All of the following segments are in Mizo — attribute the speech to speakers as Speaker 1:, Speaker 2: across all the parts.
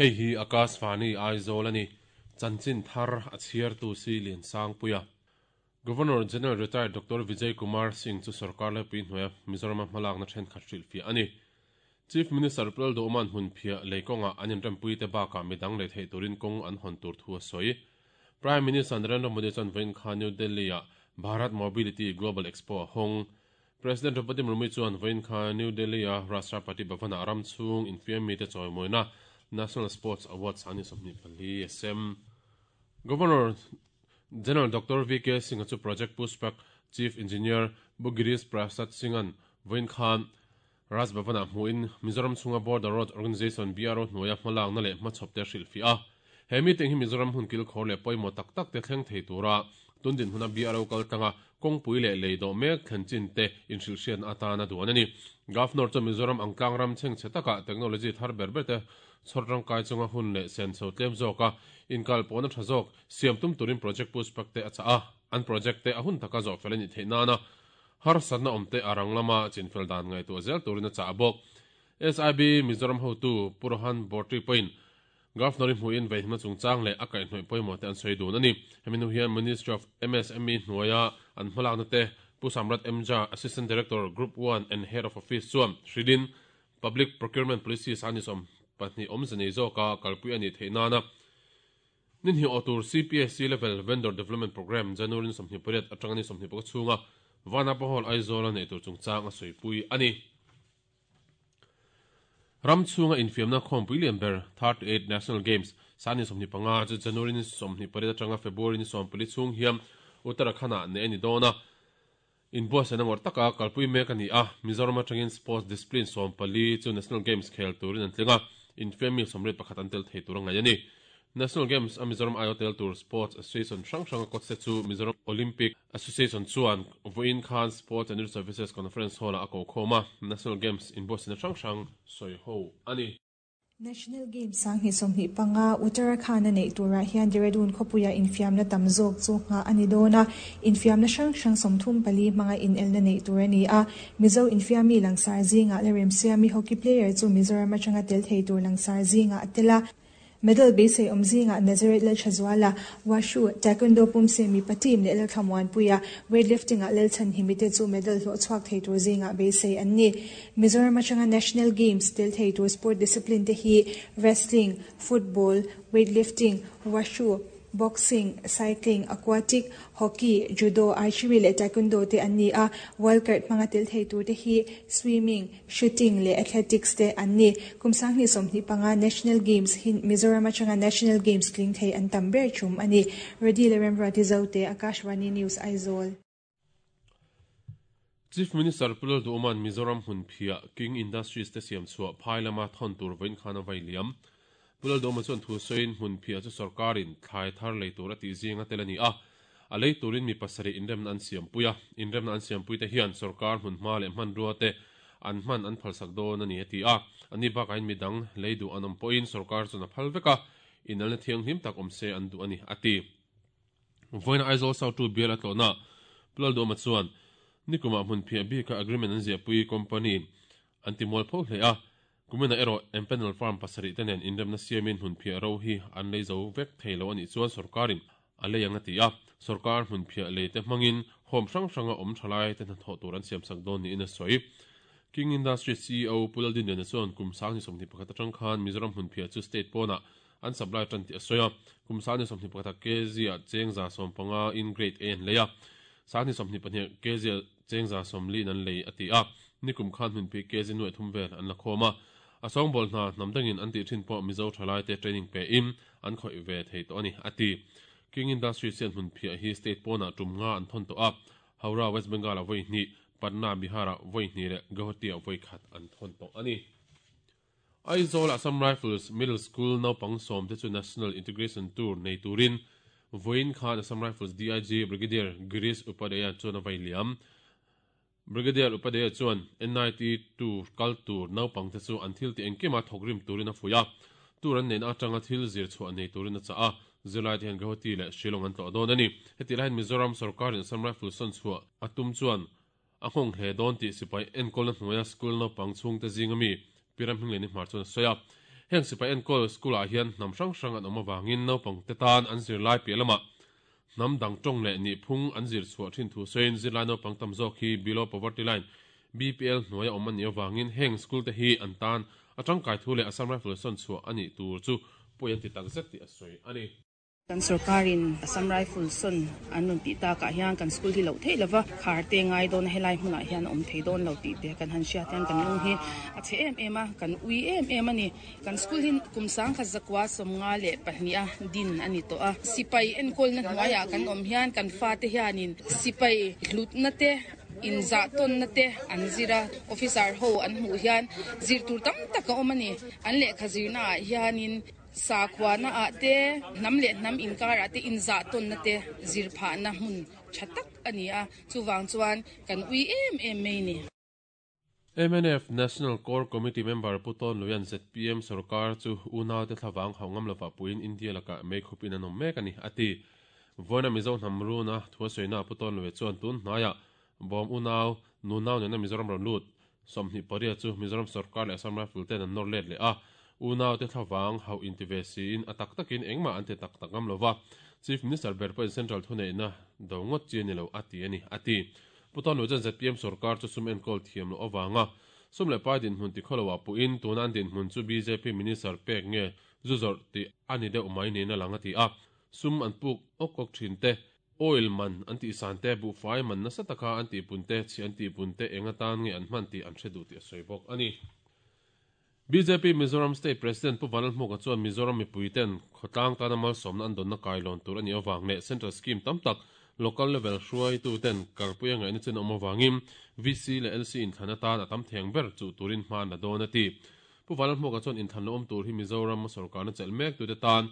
Speaker 1: Hei hi Akashvani Aizawl a ni. Chanchin thar a chhiartu si Liansangpuia. Governor General Retired Doctor Vijay Kumar Singh chu sorkar laipui hnuaia Mizorama hmalakna thenkhat hrilhfiah a ni. Chief Minister Pu Lalduhawma'n hmunphiah lei kawngah an inrempuite bakah midang lei theih turin kawng an hawn tur thu a sawi. Prime Minister Narendra Modi chuan vawiin kha New Delhi-ah Bharat Mobility Global Expo a hawng. President Draupadi Murmu chuan vawiin kha New Delhi-a Rashtrapati Bhavan-ah ram chhung infiam mite chawimawina National Sports Awards a ni 24 a sem. Governor General Doctor VK Singh-a chu Project Pushpak Chief Engineer Bu Girish Prasad Singh-a'n vawiin khan Raj Bhavan-ah hmuhin Mizoram chhunga Border Roads Organisation, BRO, hnuaia hmalakna leh hmachhawpte a hrilhfiah a. He meeting hi Mizoram hun kilkhawr leh pawimawh tak tak te thleng thei tura tun dinhmuna BRO kaltlanga kawngpui leh lei dawh mek thlen chin te inhrilhhriatna atana duan a ni. Governor chuan Mizoram ang tlang ram chhengchhe takah technology thar ber ber te chhawr tangkai chunga hun leh senso tlem zawka inkalpawhna tha zawk siam tum turin project pushback te a chah a, an project te a hun taka zawh fel a nih theih nana harsatna awm te a rang lama chinfel dan ngaihtuah zel turin a chah bawk. SIB Mizoram hotu Pu Rohan Bortri pawhin Governor-i hmuhin veihna chungchang leh a kaihhnawih pawimawh te an sawi dun a ni. Hemi hnu hian Ministry of MSME hnuaia an hmalakna te Pu Samrat Mja, Assistant Director, Group One and Head of Office chuan hrilhin Public Procurement Policy sani 12 awmze nei zawka kalpui a nih theih nana ni hnih awh tur CPSC Level Vendor Development Programme January ni 28 atanga ni 26 chhunga Vanapa Hall Aizawl-a neih tur chungchang a sawipui a ni. Ram chhunga infiamna khawmpui lian ber 38 National Games sani 25 chu January ni 28 atanga February ni 14 chhung hian Uttarakhand-ah neih a ni dawn a. Inbuatsaihna ngawrh taka kalpui mek a ni a, Mizoram atangin Sports Discipline 14 chu National Games khel turin an tling a, infiam mi 81 an tel thei tur a ngaih a ni. National Games a Mizoram aiawh tel tur Sports Association hrang hranga coach te chu Mizoram Olympic Association chuan vawiin khan Sports and Youth Services Conference Hall-ah a ko khawm a, National Games inbuatsaihna hrang hrang sawi ho a ni.
Speaker 2: National Games 2025 Uttarakhand-a neih turah hian Dehradun khawpuia infiamna tam zawk chu nghah a ni dawn a, infiamna hrang hrang 34 hmanga inelna neih tur a ni a. Mizo infiammi langsar zingah la remsiami hockey player chu Mizoram atanga tel thei tur langsar zingah a tel a. Medal beisei awm zingah Nazareth Lalthazuala, Washu, Taekwondo pumse mipa team leh Lalthlamuanpuia, Weightlifting-ah Lalchhanhimi te chu medal hlawh chhuak thei tur zingah beisei an ni. Mizoram atanga National Games tel thei tur sport discipline te hi Wrestling, Football, Weightlifting, Washu, Boxing, Cycling, Aquatic, Hockey, Judo, Archery leh Taekwondo te an ni a, Wildcard hmanga tel thei tur te hi Swimming, Shooting leh Athletics te an ni. Kum 2025 National Games hi Mizoram atanga National Games tling thei an tam ber thum a ni. Rody leh Remruati Zote, Akashvani News, Aizawl.
Speaker 1: Chief Minister Pu Lalduhawma'n Mizoram hmunphiah King Industries te siam chhuah phai lama thawn tur vawiin khan a vai liam. Pu Lalduhawma chuan thu sawiin hmunphiah chu sorkarin thlai thar lei tur a tih zinga tel a ni a, a lei turin mi pasarih inremna an siampui a, inremna an siampuite hian sorkar hmunhma leh hmanrua te an hman an phalsak dawn a ni a ti a. Ani bakahin midang lei duh an awm pawhin sorkar chuan a phal vek a, inalna thianghlim tak awm se an duh a ni a ti. Vawiin Aizawl South 2 bial a tlawhna Pu Lalduhawma chuan nikumah hmunphiah bika agreement an ziahpui company an ti mual pho hle a, kuminah erawh empanel firm pasarih te nen inremna siamin hmunphiah ro hi an lei zo vek thei lo a nih chuan sorkarin a lei ang a ti a, sorkar hmunphiah lei te hmangin home hrang hranga awm thalai te hnathawh tur an siamsak dawn niin a sawi. King Industries CEO Pu Laldinliana chuan kum 2021 atang khan Mizoram hmunphiah chu state pawnah an supply tan tih a sawi a, kum 2021 ah kg ah cheng 150 in grade A an lei a, 2022 ah kg ah cheng 140 in an lei a ti a, nikum khan hmunpui kg nuaih thum vel an la khawm a, a sawngbawl hna hnam dangin an tih thin pawh Mizo thalai te training pe in an khawih ve thei tawh a ni a ti. King Industries hian hmunphiah hi state pawnah tum nga an thawn tawh a, Howrah, West Bengal ah vawi hnih, Patna, Bihar ah vawi hnih leh Guwahati ah vawi khat an thawn tawh a ni. Aizawl Assam Rifles Middle School naupang sawm te chu National Integration Tour nei turin vawiin khan Assam Rifles DIG Brigadier Girish Upadhyaya chuan a vai liam. Brigadier Upadhyaya chuan NIT Tour kal tur naupang te chu an thil tih engkima thawk rim turin a fuih a, tour an neihna atanga thil zir chhuah nei turin a chah a, zirlai te hian Guwahati leh Shillong an tlawh dawn a ni. Hetih laiin Mizoram sorkarin Assam Rifles sawn chhuah a tum chuan A nghawng hle dawn tih sipai enkawlna hnuaia school naupang chhungte zinga mi Pi Ramhmingleni Hmar chuan a sawi a. Heng sipai enkawl school ah hian hnam hrang hrang an awm avangin naupangte tan an zirlai piah lamah hnam dang tawng leh nihphung an zir chhuah thin thu sawiin zirlai naupang tam zawk hi Below Poverty Line, BPL, hnuaia awm an nih avangin heng school te hi an tan a tangkai thu leh Assam Rifle sawn chhuah a nih tur chu pawi an ti takzet tih a sawi a ni.
Speaker 3: Kan sorkarin Assam Rifle sawn an rawn tih takah hian kan school hi loh theih lova khar te ngai dawn a, helai hmunah hian a awm thei dawn lo tih te kan han hriat hian kan lung hi a chhe em em a, kan ui em em a ni. Kan school hi kum sangkhat zakua 52 a din a ni tawh a, sipai enkawlna hnuaiah kan awm hian kan fate hianin sipai hlutna te, inzahtawnna te an zir a, officer ho an hmuh hian zir tur tam tak a awm a ni. An lehkha zirnaah hianin Sakhuana ah te, hnam leh hnam inkar ah te inzah tawnna te zir phahna hmun tha tak a ni a, chuvang chuan kan ui em em mai ni.
Speaker 1: Mnf National Core Committee member Pu Tawn Luian zpm sorkar chu unaute thlavang hauh ngam lovah puiin India lakah meikhupin an awm mek a ni, a ti. Vawiina Mizo hnam runa thu a sawina Pu Tawn Luia chuan tun hnaiah bawm unau, nunau nena Mizoram rawn lut 28 chu Mizoram sorkar leh Assam Rifle ten an nawr let leh a, unaute thlavang hauh inti ve siin a tak takin engmah an ti tak tak ngam lova, Chief Minister ber pawhin Central thuneihna do ngawt chi a ni lo a ti a ni, a ti. Pu Tawnluai chuan zpm sorkar chu sum enkawl thiam loh avanga sum leh pai dinhmun ti khawlo ah puhin tuna an dinhmun chu bjp Minister pek nge zu zawrh tih a ni deuh mai niin a lang a ti a, sum an puk awk awk thin te Oil man an tih san te, buhfai man nasa taka an tih pun te, chhi an tih pun te eng atan nge an hman tih an hre duh tih a sawi bawk a ni. Bjp Mizoram State President Pu Vanlalhmuka chuan Mizoram mipui ten khawtlang tana malsawmna an dawnna kailawn tur a nih avang leh Central Scheme tam tak Local Level hruaitu ten kalpui a ngaihna chin a awm avangin VC leh LC inthlan atan a tam theng ber chuh turin hma an la dawn a ti. Pu Vanlalhmuka chuan inthlan la awm tur hi Mizoram sorkarna chelh mek tute tan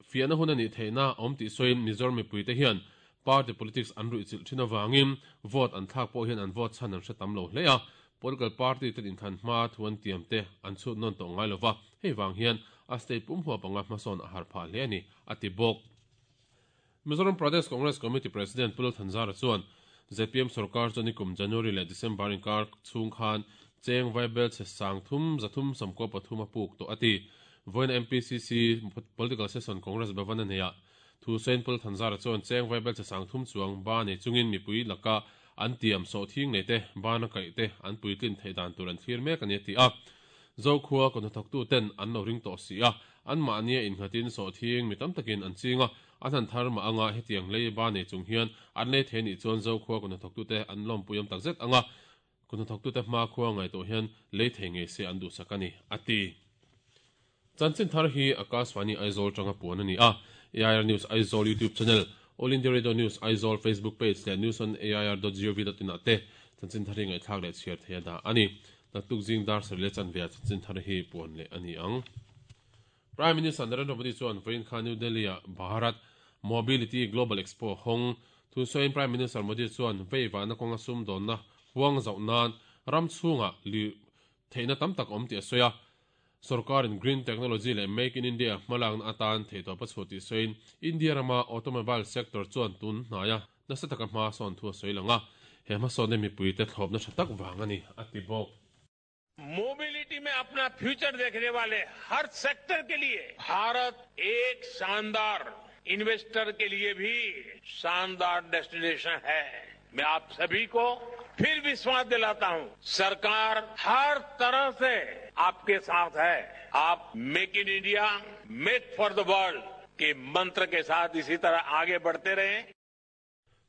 Speaker 1: Fiahna hun a nih theihna awm tih sawiin Mizoram mipuite hian party politics an ruihchilh thin avangin vote an thlak pawh hian an vote chhan an hre tam lo hle a, political party ten inthlan hma thu an tiam te an chhut nawn tawh ngai lova, hei vang hian a state pum huap anga hmasawn a har phah hle a ni, a ti bawk. Mizoram Pradesh Congress Committee President Pu Lalthanzara chuan zpm sorkar chuan nikum January leh December inkar chhung khan cheng vaibel chhe 3393 a puk tawh a ti. Vawiina MPCC Political Session Congress Bhavan a neihah thu sawiin Pu Lalthanzara chuan cheng vaibel chhe 30 chuang ba nei chungin mipui laka an tiam sawhthing nei te, bana kaih te an puitlin theih dan tur an thlir mek a ni a ti a. Zokhua kawhnathawktu ten an lo ring tawh si a, anmahnia innghatin sawhthing mi tam takin an ching a, an han thar mah anga hetiang lei ba nei chung hian an lei thei nih chuan Zokhua kawhnathawktute an lawmpui awm takzet anga Kawhnathawktute hmakhua ngaihtuah hian lei thei ngei se an duhsak a ni, a ti. Chanchin thar hi Akashvani Aizawl tanga puan a ni a, AIR News Aizawl YouTube channel, All India Radio News Aizawl Facebook page leh news on air dot gov dot in ah te chanchin thar hi ngaihthlak leh chhiar thei a dah a ni. Naktuk zing dar sarih leh chanve ah chanchin thar hi puan leh a ni ang. Prime Minister Narendra Modi chuan vawiin kha New Delhi-ah Bharat Mobility Global Expo hawng thu sawiin Prime Minister Modi chuan veivahna kawnga sumdawnna huang zauh nan ram chhungah lih theihna tam tak awm tih a sawi a. Sorkarin Green Technology leh Make in India hmalakna atan theihtawp a chhuah tih sawiin India rama automobile sector chuan tun hnaia nasa taka hma sawn thu a sawi lang a, he hmasawnna mipuite thlawpna tha tak vang a ni, a ti bawk.
Speaker 4: Mobility में अपना future देखने वाले हर sector के लिए भारत एक शानदार इन्वेस्टर के लिए भी शानदार डेस्टिनेशन है। मैं आप सभी को फिर विश्वास दिलाता हूं, सरकार हर तरह से आपके साथ है। आप make in India, make for the world के मंत्र के साथ इसी तरह आगे बढ़ते रहें।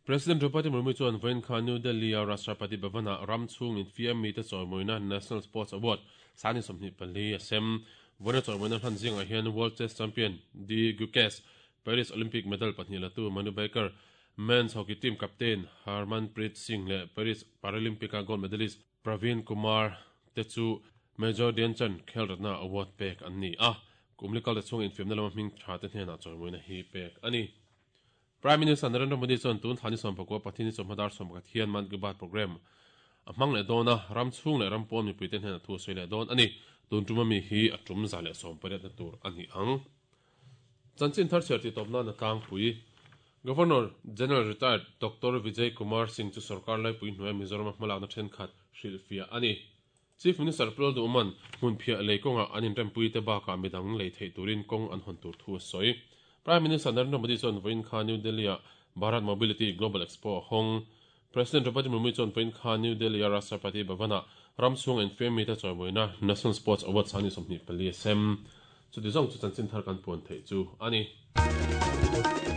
Speaker 1: President Draupadi Murmu chuan vawiin kha New Delhi-a Rashtrapati Bhavan-ah ram chhung infiam mite chawimawina National Sports Award 24 a sem. Vawiina chawimawina hlan zingah hian World Chess Champion D Gukesh, Paris Olympic medal pahnih latu Manu Bhaker, Men's Hockey Team captain Harmanpreet Singh leh Paris Paralympic-a gold medalist Praveen Kumar te chu Major Dhyanchand Khel Ratna Award pek an ni a. Kum li kalta chhung infiamna lama hming tha te hnenah chawimawina hi pek a ni. Prime Minister Narendra Modi chuan tun thla ni 19 Pathini chawhma dar 11 hian Mann Ki Baat programme a hmang leh dawn a, ram chhung leh ram pawn mipuite hnenah thu a sawi leh dawn a ni. Tun tuma mi hi a tum 118 na tur a ni ang. Chanchin thar chhiar tih tawp nan a tlangpui. Governor General Retired Doctor Vijay Kumar Singh chu sorkar laipui hnuaia Mizoram-a hmalakna thenkhat hrilhfiah a ni. Chief Minister Pu Lalduhman hmunphiah lei kawngah an inrempui te bakah midang lei theih turin kawng an hawn tur thu a sawi. Prime Minister Narendra Modi chuan vawiin kha New Delhi-ah Bharat Mobility Global Expo a hawng. President Draupadi Murmu chuan vawiin kha New Delhi-a Rashtrapati Bhavan-ah ram chhunga infiam mite chawimawina National Sports Awards a ni 24 a sem. Chuti zawng chu chanchin thar kan puan theih chu a ni.